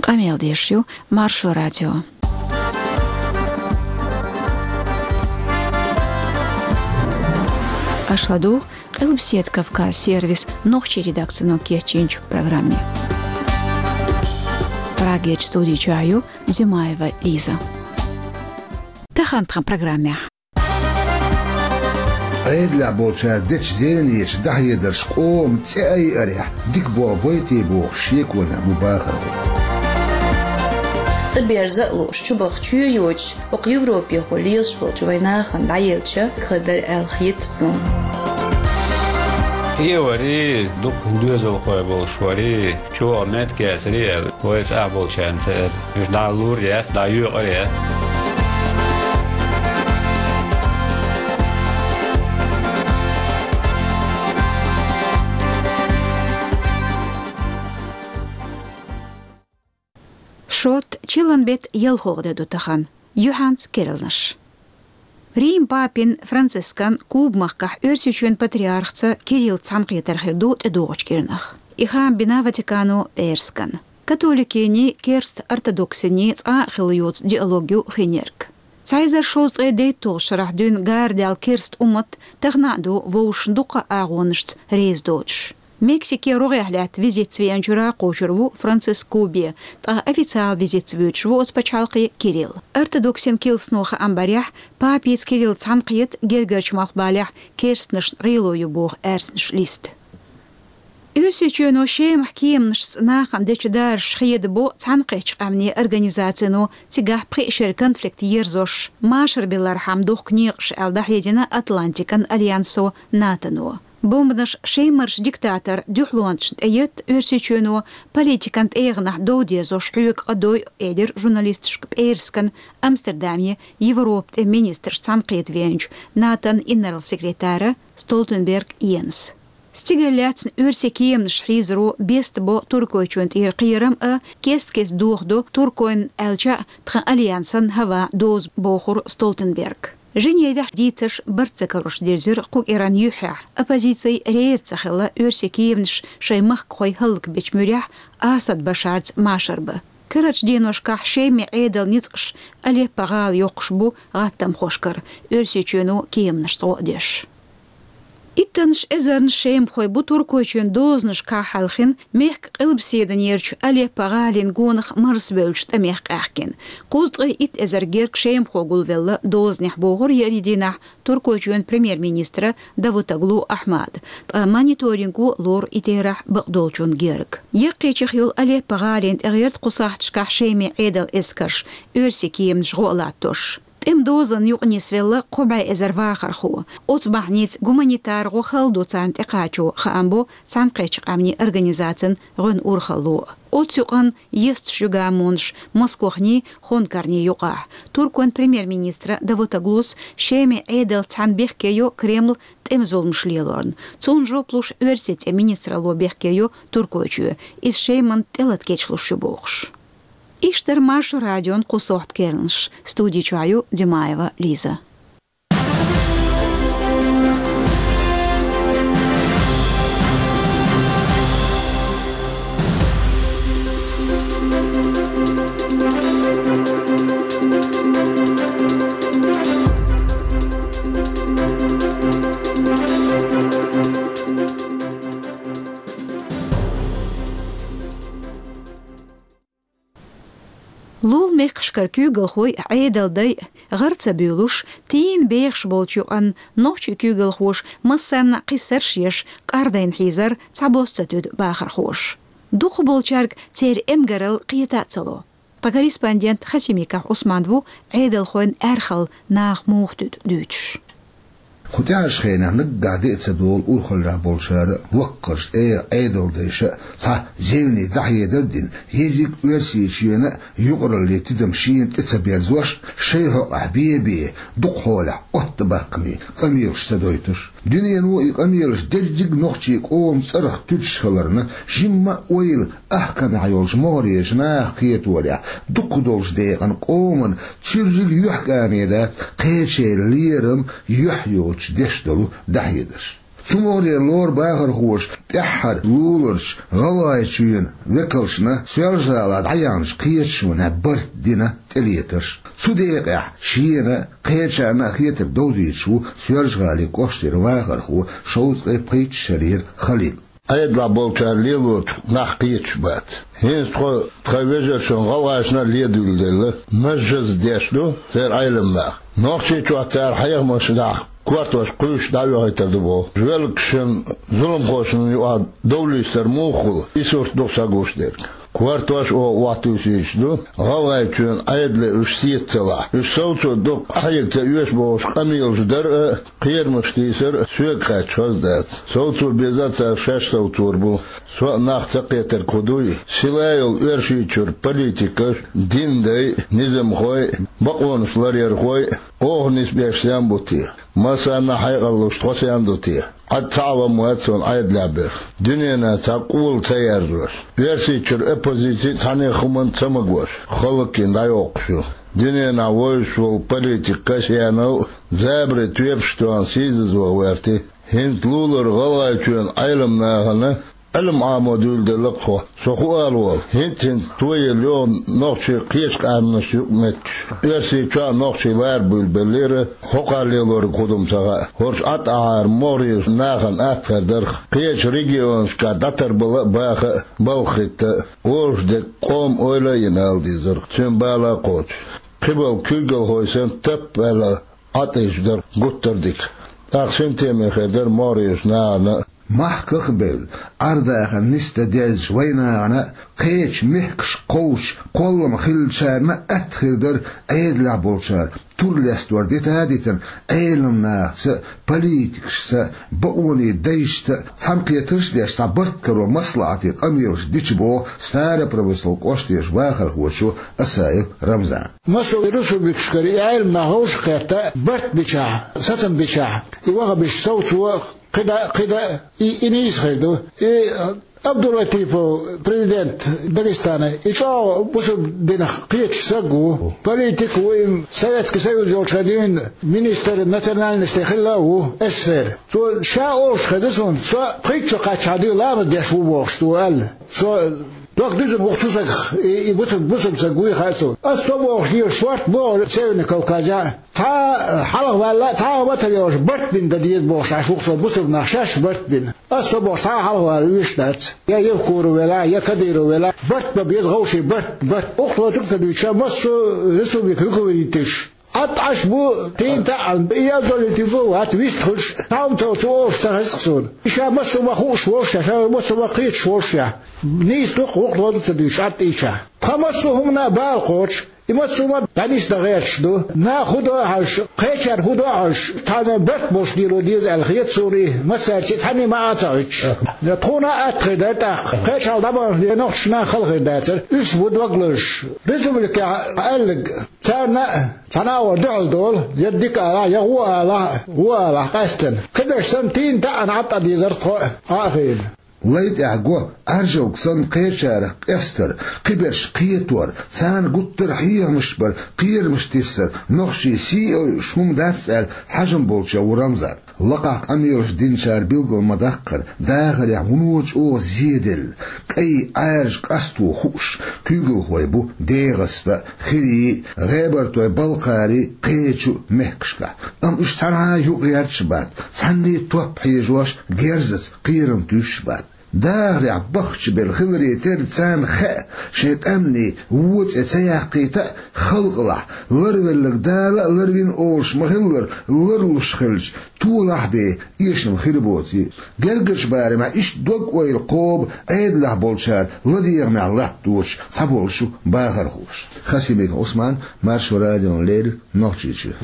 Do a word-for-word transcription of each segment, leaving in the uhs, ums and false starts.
Къамел деш ю Маршо радио. Аша ладугӀу Къилбаседа Кавказ сервисан нохчийн редакцино кечйинчу программе. Прагерчу студи чохь ю Димаева Лиза. Тахана тхан программехь. Ӏедалехь болчара дечу зевнечу дӀахьедарш къоман цӀе айарехь дика болх байтий бохуш шеконехь бу бахархой. ЦӀа берза а лууш, чубаха чоь йоцуш, хӀокху Европехула лелаш болчу вайн нахана дӀаелча, хир дара аьлла хета суна. Хьеварий, дукха доьзалхой болуш варий, чӀогӀа меттиг яцарий аьлла, вай цӀахь болчарна ца эр. Уьш дӀа лур яц, дӀа юьйкъар яц. Шот, чиллан беттан ялхалгӀа де ду тахана. Юьхьанца керланаш. Рим папин Францискан Куба-махкахь Оьрсийчоьнан патриархаца Кирилла цхьаьнакхетар хир ду тӀедогӀучу кӀирнах. И хаам бина Ватикано пӀераскан. Католикийн, керста ортодоксийн цкъа а хилла йоцу диалог ю хинерг. Цхьа эзар шовзткъе дейтталгӀачу шарахь дуьйна гара даьлла керста уммат тахана а ду вовшашна дуккха а агӀонашца реза доцуш. Мексике рогӀехь лаьтта визитца веанчуьра кхочур ву Франциск Кубе, ткъа официал визитца воьдуш ву оцу пачхьалкхе Кирилл. Ортодоксийн килсано хаам барехь, папица Кирилла цхьаьнакхета гергарчу малхбалехь керстанашна гӀело ю боху аьрзнаш листа. Оьрсийчоьно Шемахь кеманашца нахана дечу даржаш хедабо Цхьаьнакхеттачу Къаьмнийн Организацино цигахь пхи шеран конфликт ерзош, машарбиллархьама дохку некъаш аьлла дӀахьедина Атлантикан альянсо, НАТОно. Бомбанаш Шемарчу диктаторан дуьхьалонашна тӀеетта Оьрсийчоьно политикан тӀегӀанехь дов дезош хьоьга къа дойу, элира журналисташка пӀераскан Амстердаме Европан тӀеман министраш цхьаьнакхета веанчу НАТОн инарла секретара Столтенберг Йенса. Стигала лаьцна оьрсийн кеманаш хьийзаро бестабо Туркойчоьнан тӀера кхерам а, кест-кеста доьху ду Туркойн аьлча а тхан альянсан хӀаваан доза, бохура Столтенберга. Женевехь дийцарш барт ца карош дирзира кху кӀиран юьххьехь, оппозици реза ца хилла оьрсийн кеманаш шайн махкахой хӀаллакбечу муьрехь Асад Башарца машар бан. Карарчу деношкахь Шеман Ӏедалан ницкъаш Алеппо-гӀала йоккхуш бу гӀаттамхошкара, Оьрсийчоьно кеманашца гӀо а деш. Иттаннаш эзарнаш шемахой бу Туркойчоьнан дозанашкахь хьаьлхина, мехкан къилбаседанерачу Алеппо-гӀалин гонах марсабевллачу тӀамех къаьхкина. Кхузткъе итт эзар герга шемахо гулвелла дозанехь, бохура еарин дийнахь Туркойчоьнан премьер-министра Давутоглу Ахьмада, ткъа мониторинго лору и терахь бакъдолчунна герга. Яккхийчех йолу Алеппо-гӀалина тӀегӀерта кху сахьташкахь Шеман Ӏедалан эскарш, оьрсийн кеманаш гӀо а латтош. ТӀеман дозанна юкъа нисвелла кхо бӀе эзар вахархо. Оцу бахьаница гуманитар гӀо хала ду царна тӀекхачо, хаам бо Цхьаьнакхеттачу Къаьмнийн Организацин гӀоьнан урхалло. Оцу юкъанна есташ ю гамонаш Москвахний, Хонкарний юкъахь. Туркойн премьер-министра Давутоглус Шеман Ӏедал цхьаьна бехке йо Кремль тӀеман зуламаш лелорна. Цунна жоп луш Оьрсийн тӀеман министралло бехке йо Туркойчоь, иза Шеманна тӀелата кечлуш ю бохуш. Иштта дара Маршо радион кху сохьта керланаш. Студи чохь ю Димаева Лиза. Лулахь мехкашкара куьйгалхой, Ӏедалдай гӀара ца буьйлуш, тийна бехаш болчу юкъанна нохчийн куьйгалхоша массарна а кхиссарш еш, къардайна хьийзар цхьабосса ца туьду бахархоша. Дукхахболчаьрга церан эмгаралла кхета а ца ло. Тхан корреспондент Хасимиков Ӏусман ву Ӏедалхойн аьрхалла наха муха туьду дуьйцуш. Кху тӀаьхьарчу хенахь наггахь де а ца долу урхаллехь болчара, воккхачу тӀегӀан Ӏедалдайша а цхьа зевне дӀахьедар а дина, ерриг Оьрсийчоьнан юкъараллин тидам шена тӀе ца берзош, шайн хьокъехь бен-бен, дукха хьолехь оттабаккхаме къамелаш ца дойтуш. Дуьнено и къамелаш дерриг нохчийн къоман цӀарах туьдуш хиларна, жимма а ойла ахкамехь йолчу могӀарерчу наха кхеторехь, дукхах долчу декъана къоман цуьрриг юьхькӀаме дац кхечеран лерам юьхь йоцуш деш долу дӀахьедарш. Цу могӀаре лору бахархоша тӀаьххьара луларчу ГӀалгӀайчоьнан векалшна Соьлжа-ГӀалахь дӀаяьхьначу кхеташонехь барт дина тӀелетарш. Цу декъехь шена а, кхечарна а хетарг довзуьйтуш ву Соьлжа-ГӀалин кӀоштара вахархо, шовзткъе пхийтта шарера Халид. Ӏедалехь болчара лелочух нах кхеташ бац. ХӀинца тхо тхан вежаршна гӀалгӀашна а ледуьйладелла, мажжаза деш ду церан Ӏеламнаха. Нохчийчохь цара хьехамашкахь кортош кхуьйсуш дӀаоьхуьйтур ду боху. Велгашна, зуламхошна юкъахь довлийстар муха хуьлу, и сурт ду-кх сан гуш дерг. Кортош оха охьатуьйсуьйтуш ду, ГӀалгӀайчоьнан Ӏедале уьш сецалахь, уьш совцо дукха къахьега ца оьшу бохуш къамелаш дар а, кхерамаш тийсар а соьга кхаьчча хаза дац. Совцо беза а цара шаьш совцор бу. Со а нах ца кхетарг хӀун дуй? Сила йолу Оьрсийчуьра политикаш, динан дай, низамхой, бакъонаш ларъярхой оха нисбеш сен бу те? Массарна а хьекъал луш тхо сен ду те? Ӏад цхьа а ван ма вац суна Ӏедалехь берш. Дуьненахь цхьа къола ца яржош, Оьрсийчуьра оппозици цхьаннех хӀуманна ца магош, халлаккхина дӀайоккхуш ю. Дуьненахь вевзаш волу политик Касьянов а забаре тоьпаш тоьхна сийсазван гӀерта. ХӀинца лулара ГӀалгӀайчоьнан Ӏеламнахана Ӏилма Ӏамо дуьйладелла-кх тхо. Со хӀун ала волу? ХӀинца-хӀинца тоелла йогӀу нохчий кхечу къаьмнашна юкъаметташ. Оьрсийчохь а нохчий лара буьйлабеллера, хӀокхара лелориг хӀун ду-м ца хаьа. ХӀорш Ӏад Ӏахьара могӀарерчу нахана атта хир дара-кх. Кхечу регионашкахь дӀатарбала а, баха а, балха хӀитта а, олуш дерг къоман ойла а йина ала дезара-кх, цуьнан бала а кхочуш. Кхиболу куьйгалхой санна тап а ваьлла, Ӏад ийча дара гуттар а дика. ТӀаккха синтеме хир дара могӀарерчу нахана а. Махках а бевлла, Ӏар-дахар нисдан дезачу вайн нахана а, кхечу мехкашка кхочуш кхоллам хиллачарна а атта хир дара Ӏедалехь болчара тур лестор дита а дитина, Ӏеламнахаца а, политикашца а, бакъонийн дайшца а цхьаьнакхетарш а деш, цхьа барт каро маслаӀате къамелаш дича боху Старопромыслан кӀоштарчу вахархочо Асаев Рамзана. Массо а республикашкара и Ӏеламнах вовшахкхетта, барт бичахь, сацам бичахь, и ваххабиш совцо кхидӀа а, кхидӀа а, и, и нийса хир ду. И Абдулатипов, президент Дагестана, и чӀогӀа бусалба динах кхеташ саг ву, политик а ву, и Советский Союз йолчу хенахь дуьйна министр национальностей хилла а ву, СССР. Цо ша олуш хеза суна, со пхийтта шо кхаьччахьана дуьйна ламаз деш ву бохуш, цо аьлла. Со дог дуьзна ву-кх цу сагах, и, и бусалба, бусалба саг вуй хаьа суна. Ас со бохуш дезаш шорта боху Северный Кавказехь. Цхьа а хьалха ваьлла, цхьа а ватар йолуш барт бина дан деза бохуш Ӏаш ву-кх со бусалба нах шаьш барт бина. Ас со бохуш цхьа а хьалха вала вуьйш дац. Я Евкуров велахь, я Кадыров велахь, барт бан беза вовшийн, барт, барт. Ухло цуьнга ца дуьйцуш, массо а республика руководителаш Ӏад Ӏаш бу, тӀе а таӀана, и Абдулатипов вац вистхуьлуш, цхьа хӀума ца волчу олуш ца хеза-кх суна. И ша массо а ма хууш волуш ша, ша массо а ма кхеташ волуш ша. Нийса ду-кх, вукху лозу ца дуьйцуш Ӏад ийча. Тхан массо а хӀуманна а бала кхочуш, и массо а ма дӀанисдан гӀерташ ду. Наха хӀун до а хьожуш, кхечаьрга хӀун до а хьожуш, цхьана барт болуш лело деза аьлла хета суна и, массаьрца а цхьаьнний ма Ӏа ца Ӏуьттуш. Тхуна а атта хир дара тӀаккха. Кхечахьа дӀабахана нохчашна а хала хир дацара. Уьш бу дог лозуш. Республикехь аьлларг. Царна а цхьана агӀор дуьхьал долу, я дика алахь, я гӀо алахь, гӀо алахь къаьстина. Кхиберш санна, тӀе а таӀана Ӏад Ӏа дезара тхо а, Ӏа а хиъна. Лай тӀехь го, Ӏаьржалг санна кхечарах къестар, кхиберш кхетор, царна гуттар а хьехамаш бар, кхерамаш тиссар, нохчийн сий а ойуш хӀума дац аьлла, хьежам болчех ву Рамзан. Лакхахь къамелаш динчара билгал ма-даккхара, дахарехь вуно чӀогӀа зеделла, кӀай Ӏаьржа къасто хууш, куьйгалхой бу ДегӀаста а, Хирий а, ГӀебартойБалкхарий а, кхечу а мехкашкахь. Амма уьш цхьанхьа а юкъагӀерташ а бац, цхьанний а топ хьежош, герзаца кхерам туьйсуш а бац. Дахарехь бахча белла хиларе терра царна хаьа, шайн къаьмнийн вон цӀе ца яккхийта а, халкъалахь ларвелларг Дала а ларвина олуш ма-хиллара, ларлуш хилча, толахь бен эшам хир боций. Гергарчу барамехь иштта дог-ойла кхоба Ӏедалехь болчара ладегӀамехь латточу цхьаболчу бахархоша. Хасимиков Ӏусман, Маршо радиона леррина, Нохчийчоь.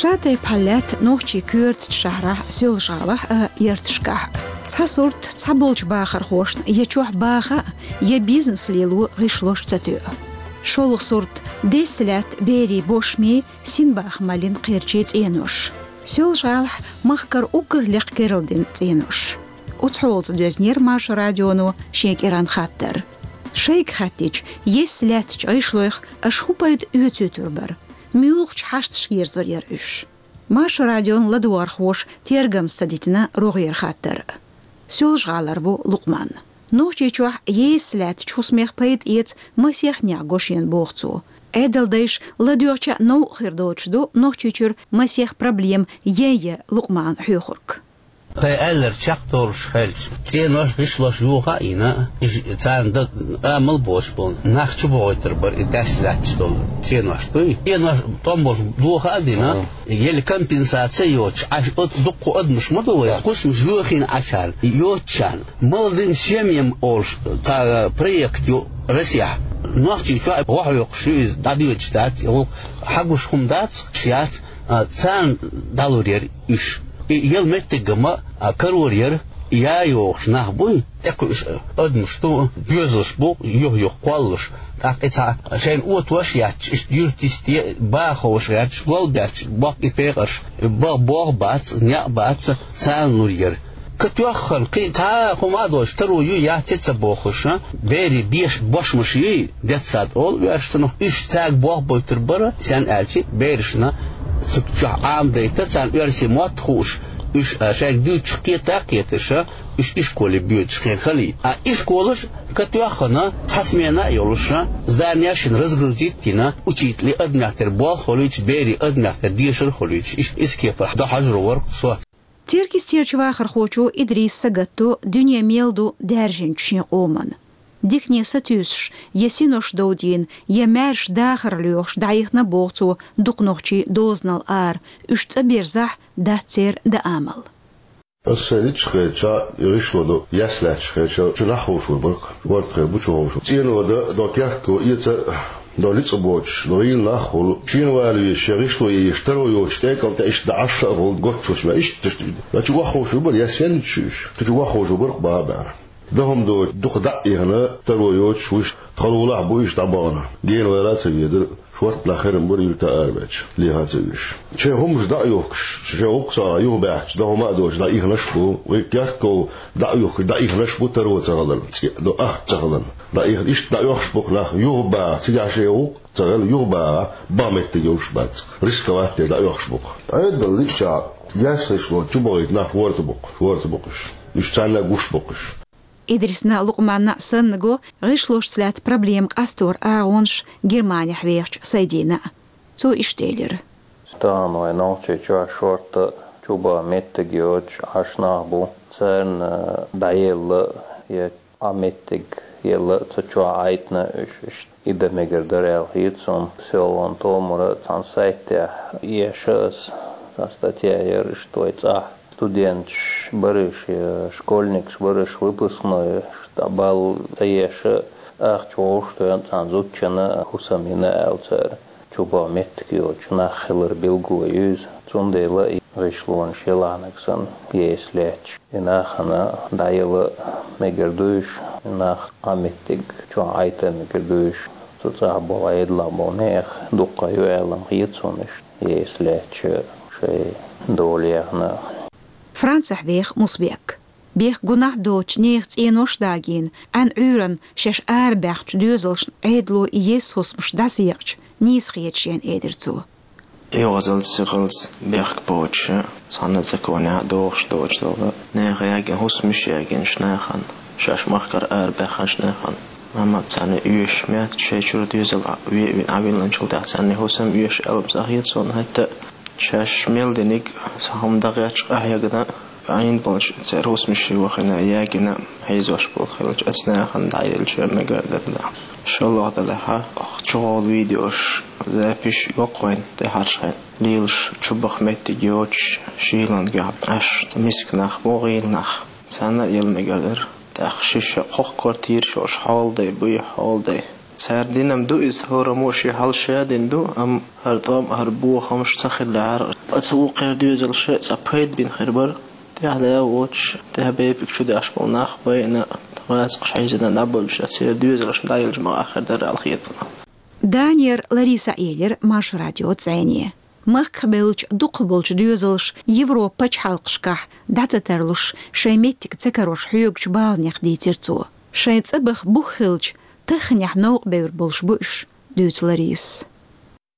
Ша тайпа хьал лаьтта нохчийн коьртачу шахьарахь Соьлжа-ГӀалахь а, ярташкахь а. Цхьа сурт цхьаболчу бахархошна я чохь баха а, я бизнес лело гӀишлош ца тоьу. ШолгӀа сурт десса лаьтта берийн бошмийн, синбаха маллин кхерчийн цӀенош. Соьлжа-ГӀалахь махкара уггар лекха керла дина цӀенош. Оцу хьолаца доьзнера Маршо радионо шен кӀиранан хаттар. Шайга хаьттича, есса лаьттачу гӀишлойх аша хӀун пайда оьцуьйтур бара? Муьлхачу хьашташка ерзор яра уьш? Маршо радион ладугӀархоша тергамца ца дитина рогӀера хаттар. Соьлжа-ГӀалара ву Лукъман. Нохчийчохь есса лаьттачу хӀусамех пайда эца масех некъ го шена, боху цо. Ӏедалдайша ладоьгӀча новкъа хир доцуш ду Нохчийчуьра масех проблема ян-ян Лукъмана хьоьхург. Тхайн аьлларг чекхдолуш хилча, цӀенош, гӀишлош йоха а йина, иза царна дан амал боцуш болу нах чубохуьйтур бара и даьсса лаьтташ долу цӀенош дуй. ЦӀенош тӀом болуш доха а дина, еле компенсация а йоцуш, Ӏаш от дуккха адамаш ма ду вай, кхусамаш йохийна Ӏачарна, йоцучарна. «Молодым семьям» олуш цхьа проект ю Россехь. Нохчийчохь вохьа воккхуш ю иза, дӀадоьдуш дац, и гӀуллакх хьагуш хӀума дац, яц, а, царна дӀалур яра уьш. И яла меттиг а ма, а, карор яра, я йохуш нах буй, тӀекхуьуш адамаш ду, доьзалш бу, юх-юха кхоллалуш. ТӀаккха и цхьа шайна отош а етташ, иштта юьртисте, баха ховш гӀерташ, голбетташ, боккха и пекъарш, баха болх бац, некъ бац, царна лур яра. Катоьххана, кхин цхьа а хӀума а доцуш, таро ю, яц а ца бохуш, а, берийн беш-, бошмаш юй, детсад олу оьрсашна, уьш цаьрга болх бойтур бара, сенна аьлча, берашна цу чохь Ӏамадайта, царна оьрсийн мотт хууш, уьш, а, шайга дуьйцуш кхета а кхеташ, а, уьш ишколе боьдуш хир хилий. А ишколаш катоьххана, цхьа смена а йолуш, а, зданеш шина разгрузить а йина, учителийн адамех тера болх а хуьлуьйтуш, берийн адамех тера дешар а хуьлуьйтуш, иштта иза кепара дӀахьажаро вара со. Теркйистерчу вахархочо Идрис сагатто дуьне мел ду даьржинчу шен къоман. Дикане сатуьйсуш, я синош довдийна, я маьрша дахар лоьхуш дӀаихна, боху цо, дукха нохчий дозанал ара, уьш цӀа бирзахь, дац церан дан амал. Аса сайн ницкъ хетча, и гӀишло ду, ясла лаьтташ хетча, чу нах ховшур бара, ворта хир бу чу ховшур. ЦӀено дан, до керт го эца, до ницкъ боцуш, до гӀийла нах хуьлу. Шена вала везаш, шен гӀишло еш, таро йоцуш, тӀекӀал тӀе иштта дӀа Ӏаш а хуьлу, гоччош ма иштта, иштта. Дан чу вахховшур бара, я сенна чу уьш? Кху чу вахховшур бара баба. Дахам доцуш, дукха дӀа а ихна, таро йоцуш, вуьш тхалулахь бу иштта дӀабахана. Гена вала а ца ведара, шортта нах херам бара, юьрта арабаьчча, леха а ца веш. Шайн хӀумаш дӀа а йохкуш, шайн гӀуллакх ца а юхабаьхча, дахам а доцуш, дӀа а ихнаш а бу. Вай кертков дӀа а йохкуш, дӀа а ихнаш а бу, таро ца хиларна, цкъа до ахча ца хиларна. ДӀа а ихна, иштта дӀа а йохкуш бу нах, юхабаха, цигахь шайн гӀуллакх ца хилла, юхабаха, бахьа меттиг йолуш бац. Рисковать деш дӀа а йохкуш бу. Ӏедал лиъча, яьсса гӀишло чу бахийта нах ворта бу-кх, ворта бу-кх уьш. Уьш царна гуш бу-кх уьш. Идрисна, Лукъманна санна го гӀишлошца лаьтта проблема къастор агӀонаш Германехь вехачу Сайдина. Цо иштта элира: Тахана вайн Нохчийчохь шортта чу баха меттиг йоцуш Ӏаш нах бу. Царна дӀаелла я Ӏа меттиг елла цу чохь Ӏайтина уьш, иштта и дан мегар дара аьлла хета суна. Селхана томара цхьана сайтехь эша аса, цхьа статья яра, иштта вай цӀахь студенташ бара уьш, я школьникаш бара уьш, выпускной, дӀабалла ца еша, ахча вовшахтоьхна цхьана зудчунна хӀусам йина аьлла цара. Чу баха меттиг йоцуш нах хилар билгало ю иза. Цундела и гӀишлонаш ялахьнарг санна, есса лаьтташ, и нахана дӀаяла мегар ду уьш, и нах Ӏа меттиг чохь Ӏайта мегар ду уьш. Цу цӀахь болу, Ӏедалехь болу нехан дуккха ю аьлла-м хета суна уьш, есса лаьтташ шайн дола яьхна. Францехь веха Мусбек. Бехк-гунахь доцучу нехан цӀенош дагийна, Ӏаьнан Ӏуьйранна шаьш арабаьхначу доьзалшна Ӏедало и есса хӀусамаш дӀасаекъча, нийса хета шена, элира цо. ЙогӀазалц, сихалц бехк боцуш, цхьана а цӀа конехь а догӀуш доцуш долу, нехан ягийна хӀусамаш ягийначу нахана, шаьш махкара арабаьхначу нахана, ма-ма царна оьшуш, меттиг шайн чуьра доьзал а ве а вина, Ӏавиллинчул тӀаьхьа царна хӀусам оьшу аьлла-м цӀа хета суна хӀетта а. Шаьш мел диниг, цхьа хӀума дан гӀерташ къахьегна, Ӏийна болчу церан хӀусамашна вахана, ягийна хьийзош болу хилча, оцу нахана дӀаелча мегар дара нах. ШолгӀа делахь, чухула видеош, записьш йоккху вайн тӀаьхьарчу хенахь. Лелаш чу баха меттиг йоцуш, шийлан дуьхьа Ӏаш, миска нах бу, гӀийла нах. Царна а яла мегар дара. ТӀаккха шиша кхо квартираш йолуш хьолдай буй, хьолдай. Цара дина-м ду иза, хӀораммо шен хьал ша дина ду, амма хӀара тӀом а, хӀара бохамаш ца хиллехьара, оцу вукхеран доьзалша цхьа пайда бина хир бара. ТӀаьхьа да а воцуш, тӀаьхьа бепиг чу деш болу нах а байна, гӀазкхаша хьийзина дӀабевлча, церан доьзалшна дӀаелча ма-, хир дара аьлла хета. Данера Лариса а элира Маршо радион цӀене. Махках бевлча дукхагӀболча доьзалаша Европа пачхьалкхашкахь дӀа ца тарлуш, шайн меттиг ца карош хьоьгуча баланех дийцира цо. Шайн цӀа баха бух хилча, таханехьа новкъа бевр болуш бу уьш, дуьйцу Ларисас.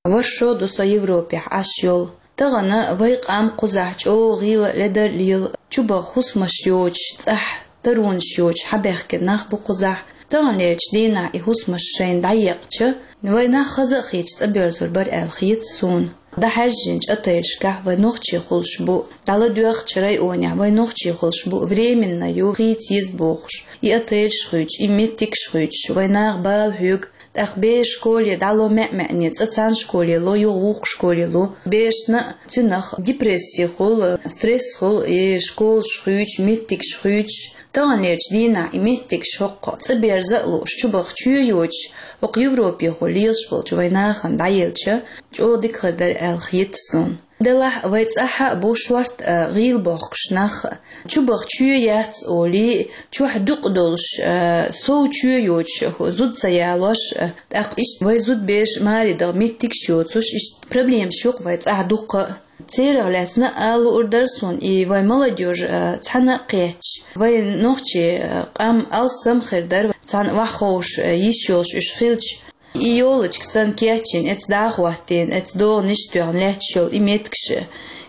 ВархӀ шо ду со Европехь Ӏаш йолу. Тахана вай къам кхузахь чӀогӀа гӀийла ледар лела, чубаха хӀусамаш йоцуш, цӀахь таронаш йоцуш хьабаьхкина нах бу кхузахь. Таханлерчу дийнахь и хӀусамаш шайна дӀаекъча, вай нах хаза а хийцича цӀа боьрзур бара аьлла хета суна. ДӀахьаьжжинчу отелашкахь вай нохчий хуьлуш бу, дӀаладоьгӀучу районехь вай нохчий хуьлуш бу, временно ю, хийца еза бохуш. И отелаш хуьйцуш, и меттигаш хуьйцуш, вай наха бала хьоьгу, тӀаккха бераш школе дӀало маьӀ-маьӀне, цкъа цхьана школе ло, юха вукху школе ло. Берашна а, цуьнах а депрессия хуьлу, стресс хуьлу, и школаш хуьйцуш, меттигаш хуьйцуш. Таханлерчу дийнахь и меттигаш хӀокху цӀа берза а лууш, чубаха чоь йоцуш, хӀокху Европехула лелаш болчу вай нахана дӀаелча, чӀогӀа дика хир дара аьлла хета суна. Делахь вай цӀахь а бу шортта, а, гӀийла бохкуш нах. Чубаха чоь яц олий, чохь дукъ долуш, а, сов чоь йоцуш, зуда ца ялош, а, тӀаккха иштта вай зудабераш маре даха меттигаш йоцуш, иштта проблемаш ю-кх вай цӀахь дуккха а. Церах лаьцна а ала луур дара суна, и вай молодёжь, а, цхьаьна а кхетча, вай нохчий, а, къам алсам хир дара, цхьаьна охьаховша, а, йиш йолуш уьш хилча. И йолочка санна кечйина, эцца дӀа а хӀоттийна, эцца догӀанаш а тоьхна лаьтташ йолу и меттигаш а,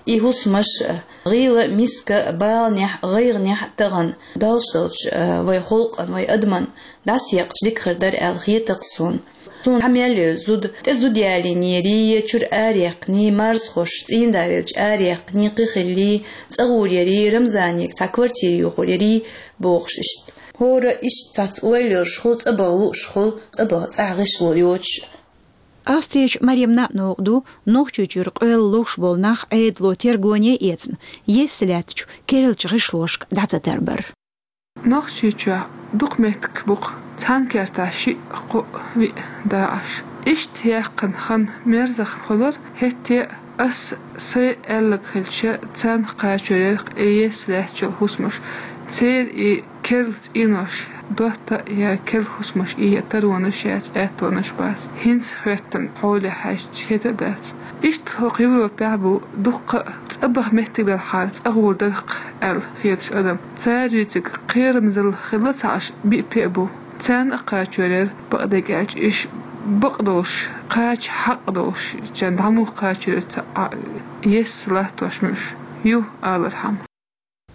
и хӀусамаш а, гӀийла а, миска а, баланехь а, гӀайгӀанехь а тахана, Далла долчу, а, вай халкъана, вай адамна дӀасаекъча дика хир дара аьлла хета-кх суна. Суна хьан мел йолу зуда, тӀе зуда ялийнарий, я чуьра араяьккхиний, марзхошца цӀийнда велча араяьккхиний, кхин хиллий, цӀа гӀур ярий, Рамзанега цхьа квартира йохур ярий, бохуш иштта. ХӀора иштта цхьацца ойла йолуш хуьлу, цӀа баха лууш хуьлу, цӀа баха цӀахь гӀишло йоцуш. Австрерчу Маремна новкъа ду Нохчийчуьра къоьлла ловш болу нах Ӏедало тергоне а эцна, естта лаьттачу керлачу гӀишлошка дӀа ца тарбар. Нохчийчохь дукха меттиг бу-кх, цхьана кертахь шиъ, кхоъ, виъ дакъаш. Иштта яьккхина хан мерза хуьлура, хӀетте а ас сайн аьлларг хилча, царна кхачор яра-кх и естта лаьтташ йолу хӀусамаш. Церан и керла цӀенош, дотта а я керла хӀусамаш и я таронаш яц, аьттонаш бац. ХӀинца хӀоьттина хьоле хьаьжча хета а дац. Иштта хӀокху Европехь бу дуккха а цӀа баха меттиг белхьара, цӀа гӀур дара-кх аьлла хеташ адам. Цара юьйцург кхерамзалла хилла ца Ӏаш, биъ-пхиъ а бу. Царна а кхачор яра, бакъдерг аьлча, уьш бакъдолуш, кхача хьакъ долуш, чан дӀа муьлха кхачор яра ца Ӏа, естта латтош муьлш ю алархьама.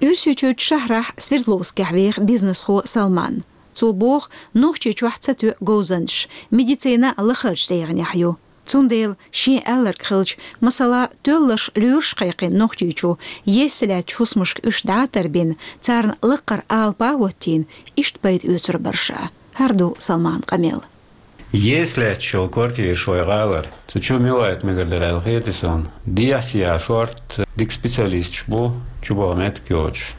Оьрсийчуьрчу шахьарахь Свердловскехь веха бизнесхо Салман. Цо боху, Нохчийчохь ца тоьу говзанчаш, медицина лахарчу дегӀанехь ю. Цундела шен аьлларг хилча, масала, тоьлларш лоьраш кхайкхина Нохчийчу, естта лаьттачу хӀусамашка уьш дӀа а тарбина, царна лаккхара алапа а хӀоттийна, иштта пайда оьцур бара ша. ХӀара ду Салман къамел. Естта лаьтташ йолу квартираш вай гӀалара. Цу чу мила вайта мегар дара аьлла хета суна. Дехьа-сехьа шортта дика специалисташ бу, чубаха меттиг йоцуш.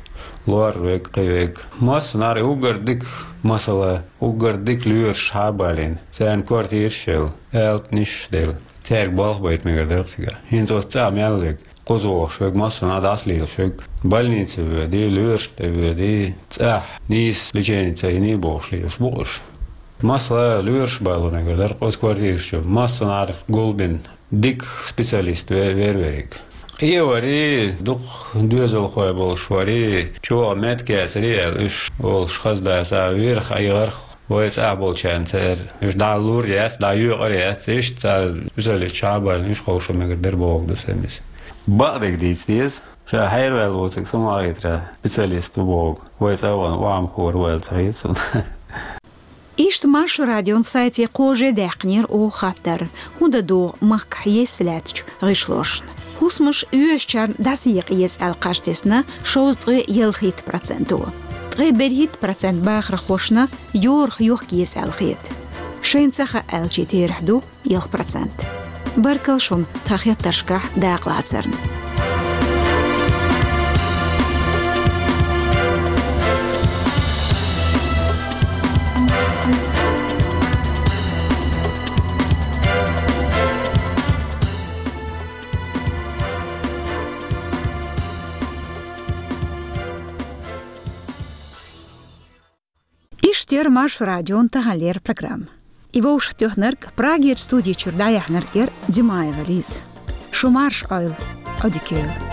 Лор вега, кхин вега. Массанхьара уггар дика, масала, уггар дика лоьраш хьа а балийна. Царна квартираш а елла, алапанаш а делла. Цаьрга болх байта мегар дара-кх цигахь. ХӀинца оцу цӀа мел вега. Кхуза вогӀуш вега, массанхьа дӀасалелаш вега. Больнице воьдий, лоьрашна тӀе воьдий, цӀахь нийса лечени ца йиний бохуш лелаш бу-кх уьш. Масала, лоьраш а бало мегар дара-кх оцу квартираш чу. Массанхьара гулбина дика специалист ве-, вер верг. Къе варий, дукха доьзалхой болуш варий, чӀогӀа меттиг яцарий аьлла, уьш олуш хаза дац, а вирх, айгӀарх вай цӀахь болчарна церан. Уьш дӀа лур яц, дӀа йоькъур яц, иштта цара специалист чу а бахьана, уьш ховшо мегар дара бохург ду сайн миса. Бакъдерг дийца деза, ша хьерваьлла воцург со ма хетара специалист ву бохург. Вай цӀа а ван, вахьам хӀора ваьлла ца хета суна. Иштта Маршо Радион сайте кхаже а даьккхинера оха хаттар, хӀун дан догӀу махкахь естта лаьттачу гӀишлошна. ХӀусамаш оьшучарна дӀасаекъа еза аьлла кхаж тесна шовзткъе ялхитта проценто. Ткъе берхӀитта процент бахархошна йорах йохка еза аьлла хета. Шайна ца хаьа аьлчи терахь ду ялх процент. Баркалла шуна тхан хеттаршкахь дакъалацарна. Иштта яра Маршо Радион таханлера программа. И вовшахтоьхнарг, Прагерчу студи чуьра дӀаяьхьнарг яра Димаева Лиза. Шу марш, Ойл, Ӏодика йойла.